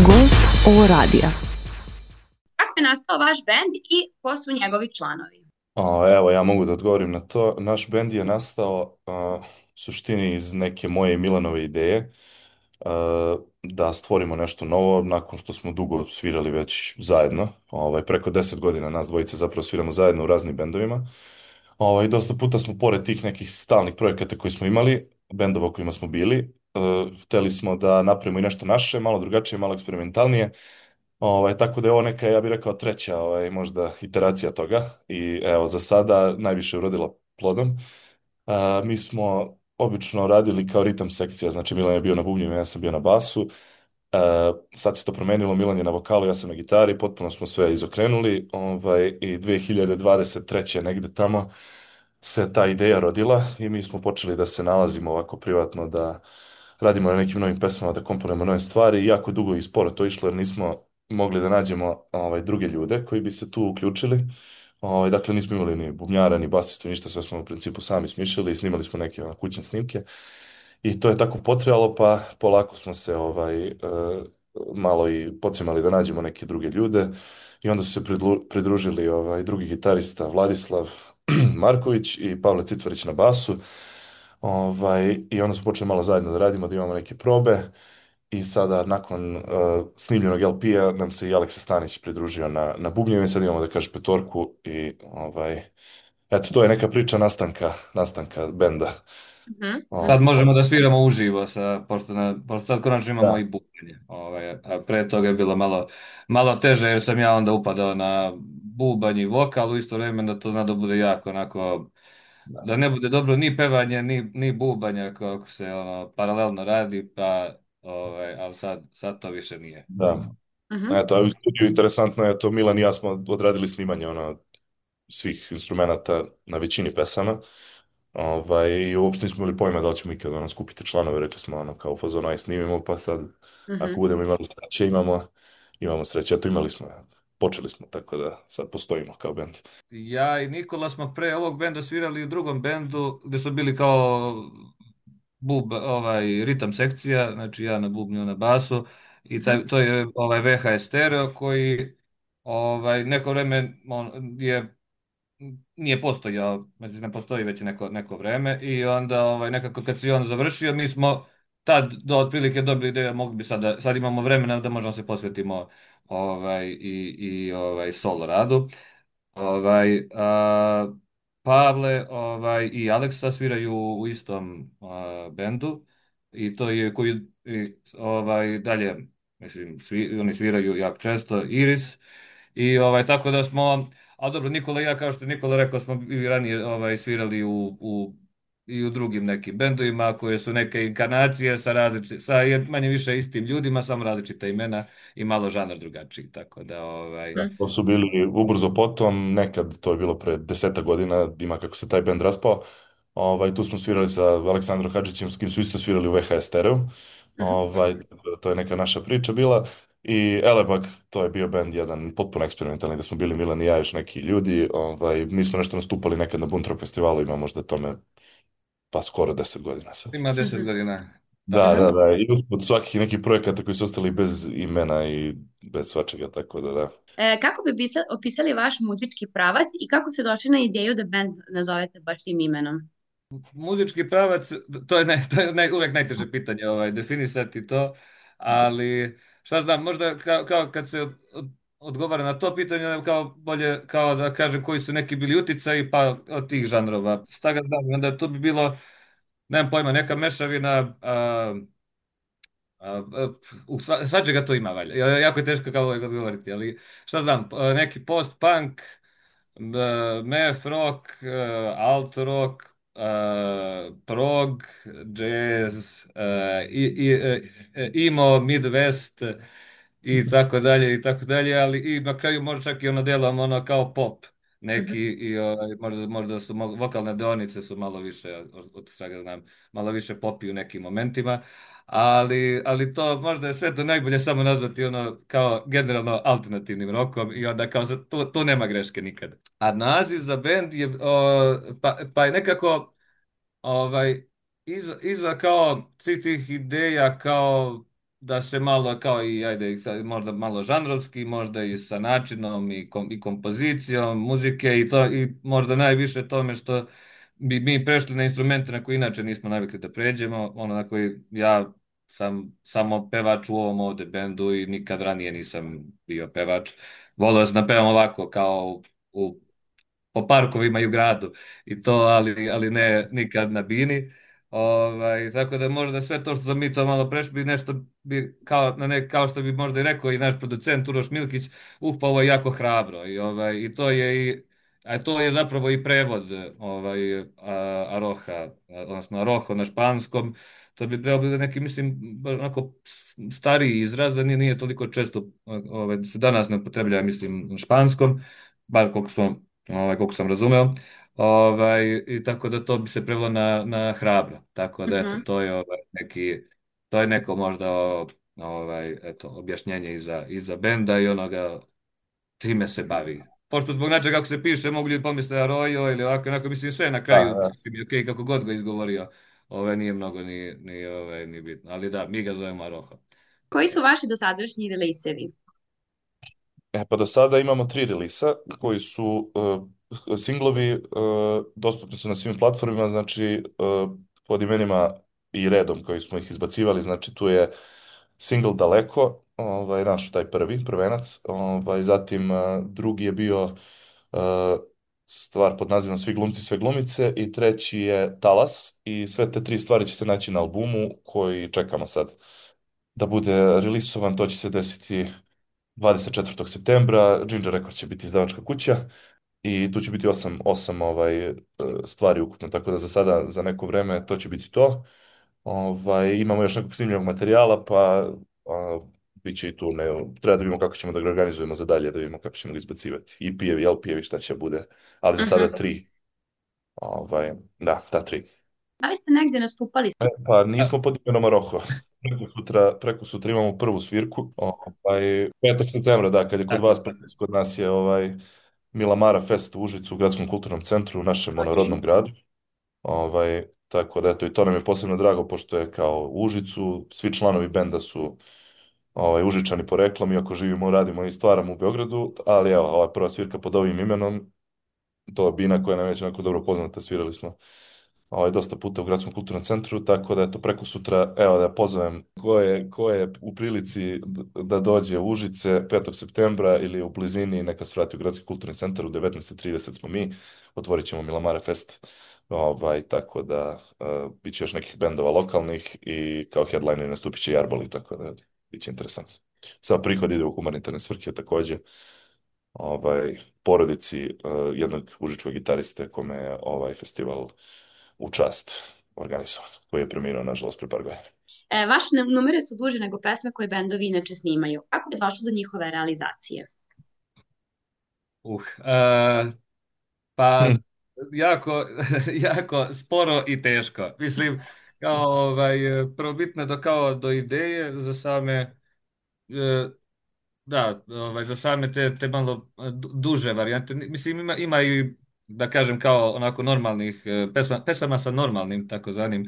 Gost ovo radija. Kako je nastao vaš bend i ko su njegovi članovi? Evo, ja mogu da odgovorim na to. Naš bend je nastao u suštini iz neke moje i Milanove ideje da stvorimo nešto novo nakon što smo dugo svirali već zajedno. Preko 10 godina nas dvojice zapravo sviramo zajedno u raznim bendovima. Dosta puta smo pored tih nekih stalnih projekata koji smo imali, bendova u kojima smo bili, hteli smo da napravimo i nešto naše, malo drugačije, malo eksperimentalnije. Tako da je ovo neka, ja bih rekao, treća možda iteracija toga i evo, za sada najviše je urodila plodom. Mi smo obično radili kao ritam sekcija, znači Milan je bio na bubnjima, ja sam bio na basu. Sad se to promenilo, Milan je na vokalu, ja sam na gitari, potpuno smo sve izokrenuli, i 2023. negde tamo se ta ideja rodila i mi smo počeli da se nalazimo ovako privatno, da radimo na nekim novim pesmama, da komponujemo nove stvari i jako dugo i sporo to išlo jer nismo mogli da nađemo druge ljude koji bi se tu uključili. Dakle, nismo imali ni bubnjara, ni basistu, ništa, sve smo u principu sami smišljali i snimali smo neke kućne snimke. I to je tako potrajalo, pa polako smo se malo i pocimali da nađemo neke druge ljude. I onda su se pridružili drugi gitarista Vladislav Marković i Pavle Cicvarić na basu. I onda smo počeli malo zajedno da radimo, da imamo neke probe. I sada, nakon snimljenog LP-a, nam se i Aleksa Stanić pridružio na bubnjevima. Sad imamo, da kažeš, petorku i eto, to je neka priča nastanka benda. Mhm, Sad mhm, možemo da sviramo uživo, pošto sad konačno imamo Da, i bubenje. A pre toga je bilo malo teže jer sam ja onda upadao na bubanj i vokal u isto vrijeme, da to zna da bude jako onako, da, da ne bude dobro ni pevanje, ni bubanja kako se ono paralelno radi, ali sad to više nije. da. mhm, Eto, a u studiju interesantno je to, Milan i ja smo odradili snimanje svih instrumenata na većini pesama. I uopšte nismo imali pojma da li ćemo ikada skupiti članove, rekli smo kao u fazonu aj snimimo, pa sad ako mhm. budemo imali sreće, imamo sreće, eto imali smo, počeli smo, tako da sad postojimo kao bend. Ja i Nikola smo pre ovog benda svirali u drugom bendu gdje su bili kao ritam sekcija, znači ja na bubnju na basu i to je VHS stereo koji neko vrijeme nije postojao, znači ne postoji već neko vrijeme i onda nekako kad si on završio mi smo tad otprilike dobili ideju mogli bi sad imamo vremena da možemo se posvetimo solo radu. Ovaj, a, Pavle i Aleksa sviraju u istom bendu i to je dalje, mislim, oni sviraju jako često Iris i tako da smo, a dobro, Nikola i ja, kao što je Nikola rekao, smo i ranije svirali i u drugim nekim bendovima koje su neke inkarnacije sa manje više istim ljudima, samo različita imena i malo žanar drugačiji, tako da Da, to su bili ubrzo potom, nekad, to je bilo pre 10 godina, ima kako se taj bend raspao. Tu smo svirali sa Aleksandrom Hadžićem, s kim su isto svirali u VHS stereo. Mhm. Tako da to je neka naša priča bila. I Elebak, to je bio bend jedan potpuno eksperimentalni, da smo bili Milan i ja, još neki ljudi. Mi smo nešto nastupali nekad na Buntrock festivalu, ima možda tome pa skoro 10 godina sad. Ima 10 godina, Da, tačno. da, da. I usput svakih nekih projekata koji su ostali bez imena i bez svačega, tako da da. Kako bi opisali vaš muzički pravac i kako se došli na ideju da band nazovete baš tim imenom? Muzički pravac, to je uvijek najteže pitanje, definisati to, ali šta znam, možda kao kad se odgovara na to pitanje, onda kao bolje, kao da kažem koji su neki bili uticaji, pa od tih žanrova. Šta ga znam, onda to bi bilo, nemam pojma, neka mešavina, svačega to ima, valja. Jako je teško kao uvijek odgovoriti, ali šta znam, neki post-punk, math rock, alt rock, prog, jazz, emo, midwest i tako dalje i tako dalje, ali i na kraju možda čak i ono delom ono kao pop neki Mhm, i možda su vokalne deonice su malo više od svega znam, malo više popi u nekim momentima. Ali to možda je sve to najbolje samo nazvati ono kao generalno alternativnim rokom i onda kao tu nema greške nikad. A naziv za bend je pa je nekako ovaj iza kao svih tih ideja kao da se malo kao i ajde možda malo žanrovski, možda i sa načinom i kompozicijom muzike i to i možda najviše tome što bi mi prešli na instrumente na koje inače nismo navikli da pređemo, ono na koji ja sam samo pevač u ovom ovde bendu i nikad ranije nisam bio pevač. Volio sam da pevam ovako kao u po parkovima i u gradu i to, ali ne nikad na bini. Tako da možda sve to što sam mi to malo prešli bi nešto bi kao, kao što bi možda i rekao i naš producent Uroš Milkić, pa ovo je jako hrabro i to je a to je zapravo i prevod Aroha, odnosno Aroho na španskom. To bi trebalo biti neki, mislim, onako stariji izraz, da nije toliko često, se danas ne upotrebljava, mislim, na španskom, bar koliko sam razumeo. I tako da to bi se prevelo na hrabro. Tako da eto, Mhm. to je to je neko možda eto, objašnjenje iza benda i onoga čime se bavi. Pošto zbog načina kako se piše, mogu ljudi pomisliti Arroyo ili ovako, onako, mislim, sve na kraju, Da, sasvim je okej kako god ga izgovorio. Nije mnogo ni bitno. Ali da, mi ga zovemo Aroha. Koji su vaši dosadašnji releasevi? Pa do sada imamo 3 relisa koji su singlovi, dostupni su na svim platformima, znači pod imenima i redom koji smo ih izbacivali, znači tu je single Daleko, naš taj prvenac, zatim drugi je bio e, stvar pod nazivom Svi glumci, sve glumice i treći je Talas i sve te 3 stvari će se naći na albumu koji čekamo sad da bude relisovan, to će se desiti 24. septembra. Ginger Records će biti izdavačka kuća i tu će biti osam stvari ukupno, tako da za sada, za neko vreme, to će biti to. Imamo još nekog snimljenog materijala, pa bit će i tu, ne, treba da vidimo kako ćemo da ga organizujemo za dalje, da vidimo kako ćemo ga izbacivati. I pijevi, LP-evi, šta će bude, ali za sada Mhm. 3. Da, ta 3. Da li ste negde nastupali? Pa nismo pod imenom Roho. Preko sutra imamo prvu svirku. 5. septembra, da, kad je kod Tako, vas, kod nas je Milamara Fest u Užicu, u Gradskom kulturnom centru, u našem rodnom Ok. gradu. Tako da, eto, i to nam je posebno drago, pošto je kao u Užicu, svi članovi benda su Užičani poreklom, iako živimo, radimo i stvaramo u Beogradu, ali evo, ova prva svirka pod ovim imenom, to je Bina koja nam je već onako dobro poznata, svirali smo dosta puta u Gradskom kulturnom centru, tako da eto preko sutra, evo da pozovem ko je u prilici da dođe u Užice 5. septembra ili u blizini, neka se vrati u Gradski kulturni centar, u 19:30 smo mi, otvorit ćemo Milamare Fest, tako da bit će još nekih bendova lokalnih i kao headliner nastupit će Jarboli, tako da bit će interesantno. Sad prihod ide u humanitarne svrhe takođe, porodici jednog užičkog gitariste kome je ovaj festival u čast organizovan, koji je preminuo, nažalost, pre par godina. Vaše numere su duže nego pesme koje bendovi inače snimaju. Kako je došlo do njihove realizacije? uh, e, pa Hm. jako, jako sporo i teško. Mislim, kao prvobitno kao do ideje za same e, da, za same te malo duže varijante. Mislim, ima i, da kažem, kao onako normalnih pesama sa normalnim, takozvanim,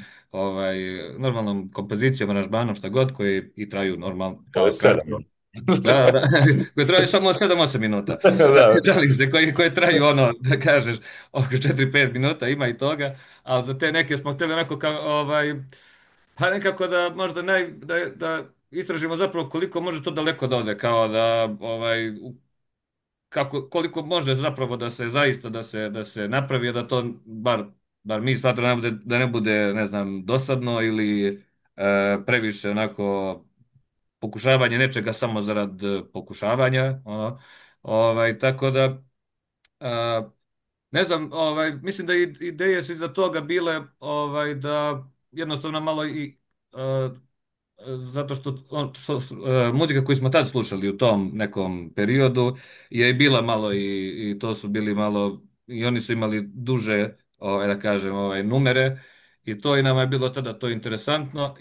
normalnom kompozicijom, aranžmanom, šta god, koji i traju normalno, To je kao 7. kratko. Da. Koje traju samo 7-8 minuta. Da. Žalim se, koje traju ono, da kažeš, oko 4-5 minuta, ima i toga, ali za te neke smo htjeli onako kao, pa nekako da možda da istražimo zapravo koliko može to daleko da ode, kao da koliko može zapravo da se zaista da se napravi, a da to bar mi smatramo da ne bude, ne znam, dosadno ili previše onako pokušavanje nečega samo zarad pokušavanja, ono. Tako da ne znam, mislim da ideje su iza toga bile da jednostavno malo i zato što, muzika koju smo tad slušali u tom nekom periodu je i bila malo i to su bili malo i oni su imali duže da kažem numere i to i nama je bilo tada to interesantno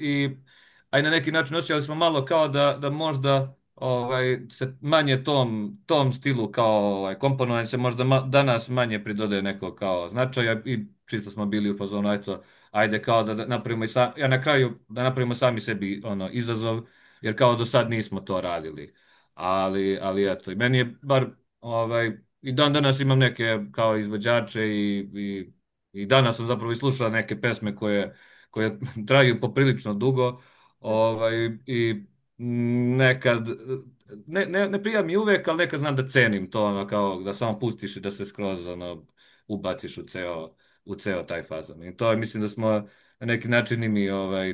a i na neki način osjećali smo malo kao da možda se manje tom stilu kao komponovanje se možda danas manje pridode neko kao značaja i čisto smo bili u fazonu eto ajde kao da napravimo ja na kraju da napravimo sami sebi ono izazov jer kao do sad nismo to radili. Ali eto, i meni je bar i dan danas imam neke kao izvođače i danas sam zapravo i slušao neke pesme koje traju poprilično dugo, i nekad ne prija mi uvek, ali nekad znam da cenim to, ono, kao da samo pustiš i da se skroz ono, ubaciš u ceo taj fazon. I to je, mislim da smo na neki način i mi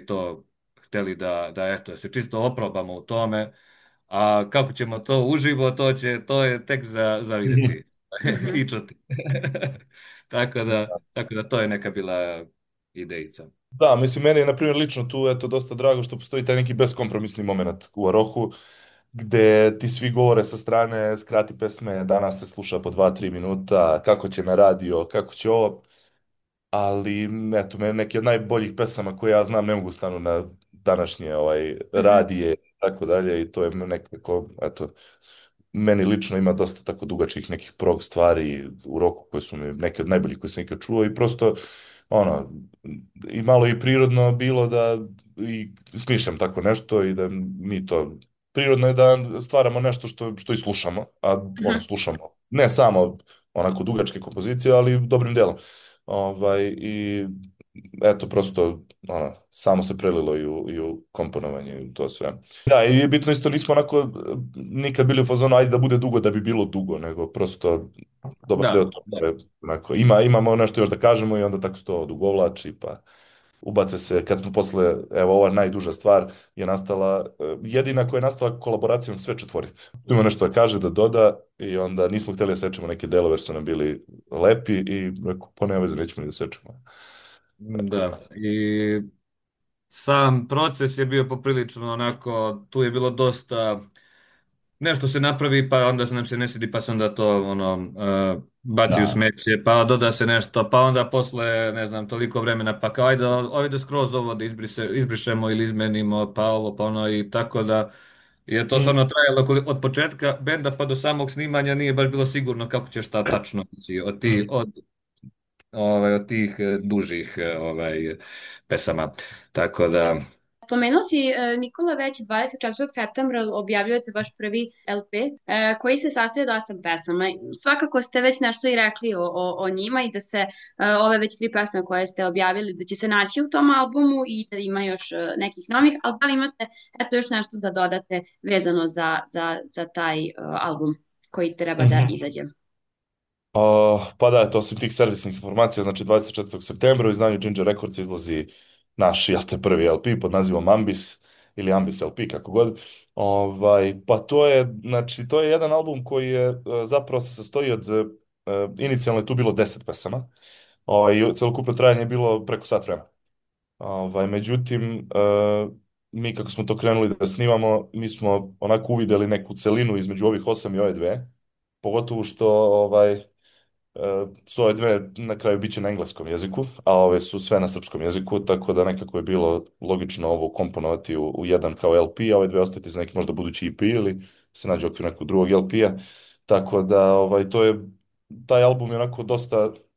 to hteli da eto, da se čisto oprobamo u tome, a kako ćemo to uživo, to je tek za vidjeti Mhm. i čuti. Tako da to je neka bila idejica. Da, mislim, meni je, na primjer, lično tu, eto, dosta drago što postoji taj neki beskompromisni moment u Arohu, gde ti svi govore sa strane, skrati pesme, danas se sluša po 2-3 minuta, kako će na radio, kako će ovo. Ali eto, meni neki od najboljih pesama koje ja znam ne mogu stanu na današnje Mhm. radije i tako dalje i to je nekako, eto, meni lično ima dosta tako dugačkih nekih prog stvari u roku koje su mi neke od najboljih koje sam ikad čuo i prosto, ono, i malo i prirodno bilo da i smišljam tako nešto i da mi to, prirodno je da stvaramo nešto što i slušamo, a ono, Mhm. slušamo ne samo onako dugačke kompozicije, ali dobrim delom. I eto, prosto, ono, samo se prelilo i u komponovanje i u to sve. Da, i je bitno isto, nismo onako nikad bili u fazonu, ajde da bude dugo da bi bilo dugo, nego prosto dobar deo Da, toga da. je, onako, imamo nešto još da kažemo i onda tako se to odugovlači, pa ubace se, kad smo posle, evo, ova najduža stvar je nastala, jedina koja je nastala kolaboracijom sve četvorice. Tu ima nešto da kaže, da doda i onda nismo htjeli da sečemo neke delove jer su nam bili lepi i rekao, pa nema veze, nećemo ni da sečemo. Tako da. Da. I sam proces je bio poprilično onako, tu je bilo dosta, nešto se napravi pa onda nam se ne svidi pa se onda to ono, baci u Da. smeće, pa doda se nešto, pa onda posle ne znam toliko vremena pa kao ajde skroz ovo da izbrišemo ili izmenimo, pa ovo pa ono, i tako da je to Mm. stvarno trajalo od početka benda pa do samog snimanja, nije baš bilo sigurno kako će šta tačno ići Mm. od tih dužih pesama. Tako da, Spomenuo si, Nikola, već 24. septembra objavljujete vaš prvi LP, koji se sastoji od 8 pesama. Svakako ste već nešto i rekli o njima i da se ove već 3 pesme koje ste objavili, da će se naći u tom albumu i da ima još nekih novih, ali da li imate eto još nešto da dodate vezano za taj album koji treba da Mhm. izađe? Pa da, to osim tih servisnih informacija, znači 24. septembra u izdanju Ginger Records izlazi naš, jel te, prvi LP pod nazivom Ambis ili Ambis LP, kako god. Pa to je, znači, to je jedan album koji je zapravo se sastoji od, inicijalno je tu bilo 10 pesama, i celokupno trajanje je bilo preko sat vremena. Međutim, mi kako smo to krenuli da snimamo, mi smo onako uvideli neku celinu između ovih 8 i ove dve, pogotovo što su ove dve na kraju biće na engleskom jeziku, a ove su sve na srpskom jeziku, tako da nekako je bilo logično ovo komponovati u jedan kao LP, a ove dve ostati za neki možda budući EP ili se nađe u okviru nekog drugog LP-a. Tako da taj album je onako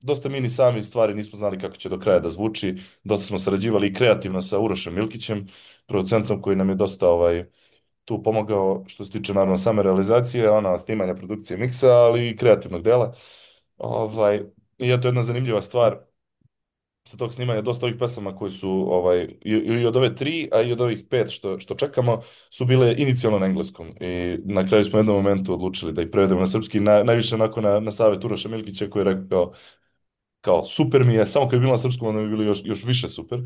dosta mini sami stvari, nismo znali kako će do kraja da zvuči. Dosta smo sarađivali i kreativno sa Urošem Milkićem, producentom koji nam je dosta tu pomogao što se tiče naravno same realizacije, snimanja, produkcije, miksa, ali i kreativnog dela. Ovaj, I eto jedna zanimljiva stvar sa tog snimanja, dosta ovih pesama koji su i od ove tri, a i od ovih pet što čekamo, su bile inicijalno na engleskom. I na kraju smo u jednom momentu odlučili da ih prevedemo na srpski, najviše onako na savjet Uroša Milkića koji je rekao kao super mi je, samo kad bi bilo na srpskom onda bi bilo još više super.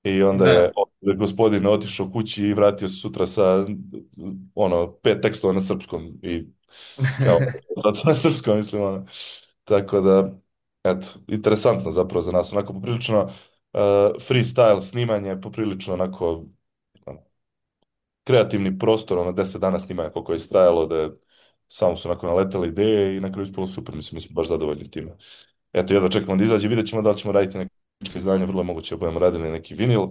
I onda je da. gospodin otišao kući i vratio se sutra sa 5 tekstova na srpskom i kao, zato na srpskom mislim, Tako da, eto, interesantno zapravo za nas, onako poprilično freestyle snimanje, poprilično onako ono, kreativni prostor, 10 dana snimanja koliko je istrajalo, da samo su onako naletale ideje i na kraju ispalo super, mislim, mi smo baš zadovoljni time. Eto, jedva čekamo da izađe, vidjet ćemo da li ćemo raditi neke izdanje, vrlo je moguće da budemo radili neki vinil,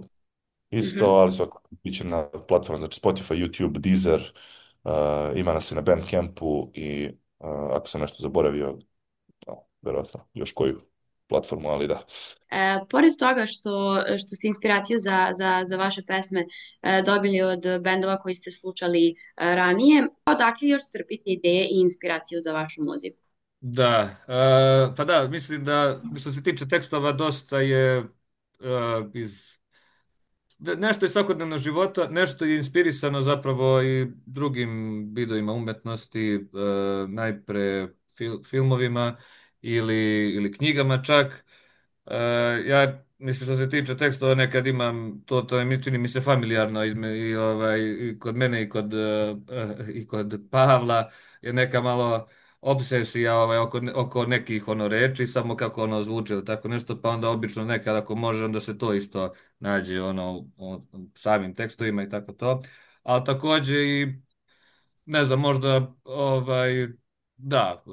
isto, Mhm. ali svakako biće na platforma, znači Spotify, YouTube, Deezer, ima nas i na Bandcampu i ako sam nešto zaboravio, verovatno još koju platformu, ali da. Pored toga što ste inspiraciju za vaše pesme dobili od bendova koji ste slušali ranije, odakle još crpite ideje i inspiraciju za vašu muziku? Da, pa da, mislim da što se tiče tekstova dosta je iz nešto iz svakodnevnog života, nešto je inspirisano zapravo i drugim vidovima umetnosti, najpre filmovima ili knjigama čak. E, ja mislim što se tiče tekstova nekad imam to mi čini mi se familijarno i kod mene i kod Pavla je neka malo obsesija oko nekih reči samo kako ono zvuči ili tako nešto pa onda obično nekad ako može onda se to isto nađe u samim tekstovima i tako to. Ali takođe i ne znam, možda da,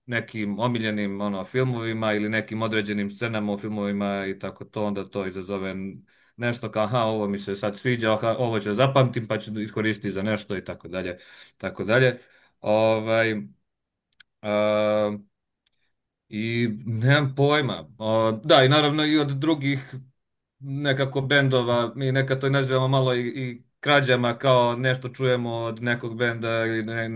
nekim omiljenim filmovima ili nekim određenim scenama u filmovima i tako to, onda to izazove nešto kao, aha, ovo mi se sad sviđa, aha, ovo ću zapamtim pa ću iskoristiti za nešto i tako dalje, tako dalje. Ovaj, I nemam pojma. Da, i naravno i od drugih nekako bendova, mi nekad to nazivamo malo i krađama, kao nešto čujemo od nekog benda ili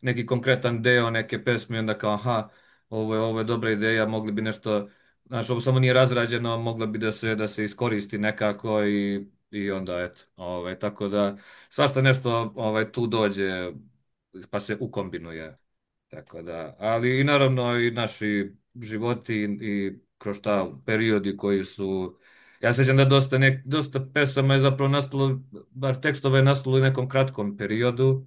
neki konkretan deo neke pesme, onda kao, aha, ovo je dobra ideja, mogli bi nešto, znaš, ovo samo nije razrađeno, moglo bi da se iskoristi nekako i onda, eto, tako da, svašta nešto tu dođe, pa se ukombinuje. Tako da, ali i naravno i naši životi i kroz ta periodi koji su, ja se sjećam da dosta pesama je zapravo nastalo, bar tekstova je nastalo u nekom kratkom periodu,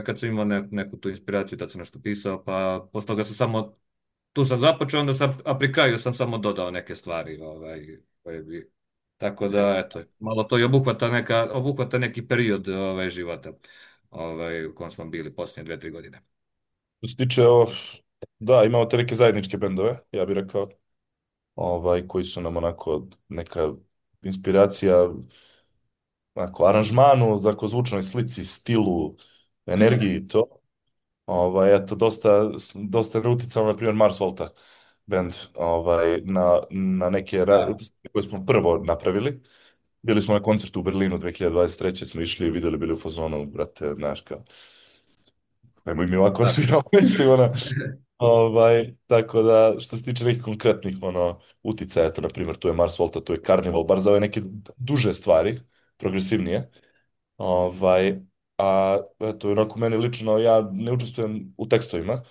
kad sam imao neku tu inspiraciju, da sam nešto pisao, pa posle toga sam samo, tu sam započeo, onda sam, a pri kraju sam samo dodao neke stvari, koje bi, tako da, eto, malo to i obuhvata neki period života, u kojem smo bili posljednje 2, 3 godine. Što se tiče, da, imamo te neke zajedničke bendove, ja bih rekao, koji su nam onako neka inspiracija, onako, aranžmanu, dakle, zvučnoj slici, stilu, energiji i to. Eto, dosta je uticao, na primjer, Mars Volta band, na neke Da. koje smo prvo napravili. Bili smo na koncertu u Berlinu 2023. smo išli i vidjeli, bili u fazonu, brate, znaš, kao, nemoj mi ovako Da. svirao, mislim, ona. Tako da, što se tiče nekih konkretnih uticaja, eto, na primjer, tu je Mars Volta, tu je Carnival, bar za ove neke duže stvari, progresivnije. Ovaj, a eto, onako meni lično, ja ne učestvujem u tekstovima,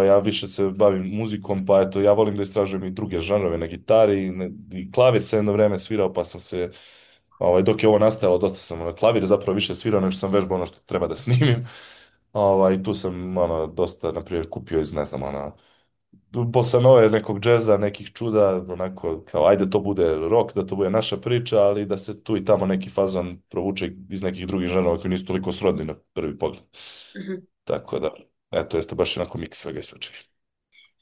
ja više se bavim muzikom, pa eto, ja volim da istražujem i druge žanrove na gitari, i klavir sam jedno vreme svirao, pa sam se, dok je ovo nastajalo, dosta sam na klavir zapravo više svirao, nego što sam vežbao ono što treba da snimim. Tu sam, dosta, na primjer, kupio iz, ne znam, bossa nove, nekog džeza, nekih čuda, onako, kao, ajde to bude rock, da to bude naša priča, ali da se tu i tamo neki fazon provuče iz nekih drugih žanrova koji nisu toliko srodni na prvi pogled. Mhm. Tako da, eto, jeste baš onako miks svega i svačega.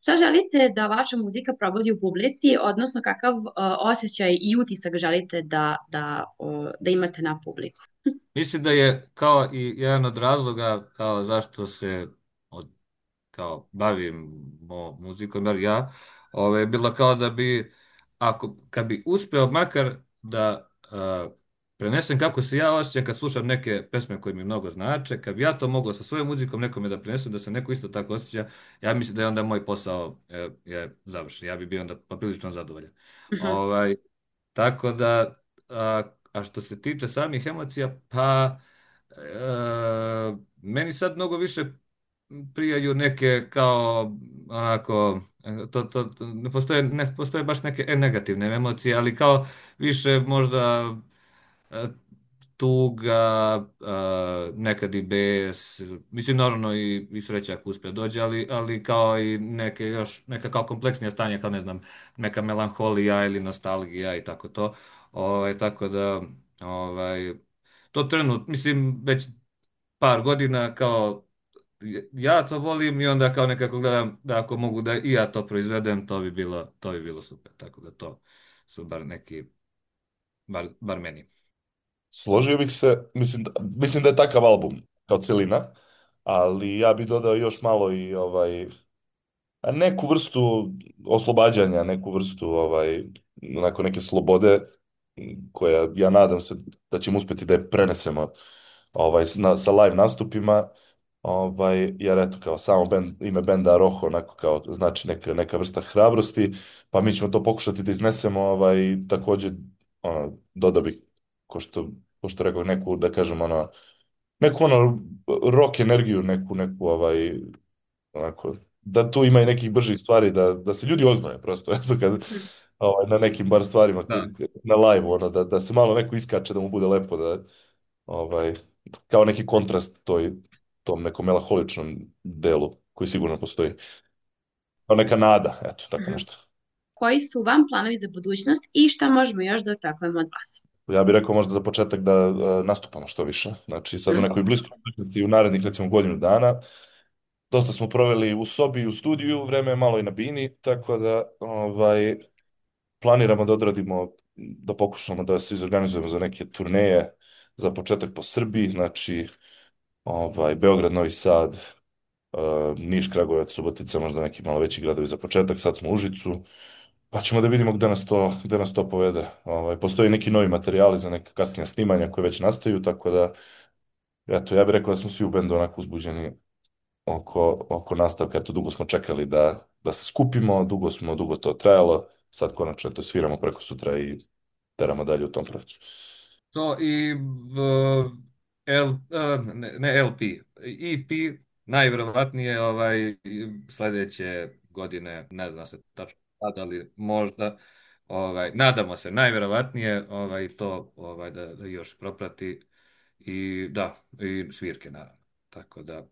Šta želite da vaša muzika probudi u publici, odnosno kakav osjećaj i utisak želite da imate na publiku? Mislim da je kao i jedan od razloga kao zašto se kao bavimo muzikom, jer ja, bilo kao da bi, kad bi uspeo makar da prenesem kako se ja osjećam kad slušam neke pesme koje mi mnogo znače, kad bi ja to mogao sa svojom muzikom nekome da prenesem, da se neko isto tako osjeća, ja mislim da je onda moj posao je završen. Ja bi bio onda poprilično zadovoljan. Mhm. Ovaj, tako da, a što se tiče samih emocija, pa meni sad mnogo više prijaju neke kao onako ne postoje baš neke negativne emocije, ali kao više možda e, tuga, nekad i bes, mislim naravno i sreća ako uspije dođe, ali kao i neka kao kompleksnija stanja, kao ne znam, neka melanholija ili nostalgija i tako to. Tako da, ovaj, to mislim, već par godina kao ja to volim i onda kao nekako gledam da ako mogu da i ja to proizvedem, to bi bilo super. Tako da to su bar neki, bar meni. Složio bih se, mislim da je takav album kao celina, ali ja bih dodao još malo i a neku vrstu oslobađanja, neku vrstu onako neke slobode koja ja nadam se da ćemo uspjeti da je prenesemo sa live nastupima. Jer eto, kao samo ime benda Roho, onako kao znači neka vrsta hrabrosti, pa mi ćemo to pokušati da iznesemo, također, dodao bi, ko što rekao, neku, da kažem, neku rock energiju, neku onako, da tu ima i nekih bržih stvari, da se ljudi oznoje prosto, eto, na nekim bar stvarima, Da. na live, da se malo neko iskače, da mu bude lepo, ovaj, kao neki kontrast tom nekom melaholičnom delu koji sigurno postoji. Kao neka nada, eto, tako Mhm. nešto. Koji su vam planovi za budućnost i šta možemo još da očekujemo od vas? Ja bih rekao možda za početak da nastupamo što više. Znači sad u nekoj bliskoj budućnosti, u narednih recimo godinu dana. Dosta smo proveli u sobi, u studiju, vreme je malo i na bini, tako da planiramo da odradimo, da pokušamo da se izorganizujemo za neke turneje, za početak po Srbiji, znači Beograd, Novi Sad, Niš, Kragujevac, Subotica, možda neki malo veći gradovi za početak, sad smo u Užicu, pa ćemo da vidimo gde nas to povede. Postoji neki novi materijali za neka kasnija snimanja koje već nastaju, tako da, eto, ja bih rekao da smo svi u bendu onako uzbuđeni oko nastavka, eto, dugo smo čekali da se skupimo, dugo to trajalo, sad konačno to sviramo preko sutra i teramo dalje u tom pravcu. To i ne LP, EP najvjerovatnije sljedeće godine, ne zna se tačno kada, ali možda, nadamo se najvjerovatnije to da još proprati i da, i svirke naravno. Tako da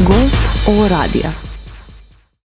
Gost O radija.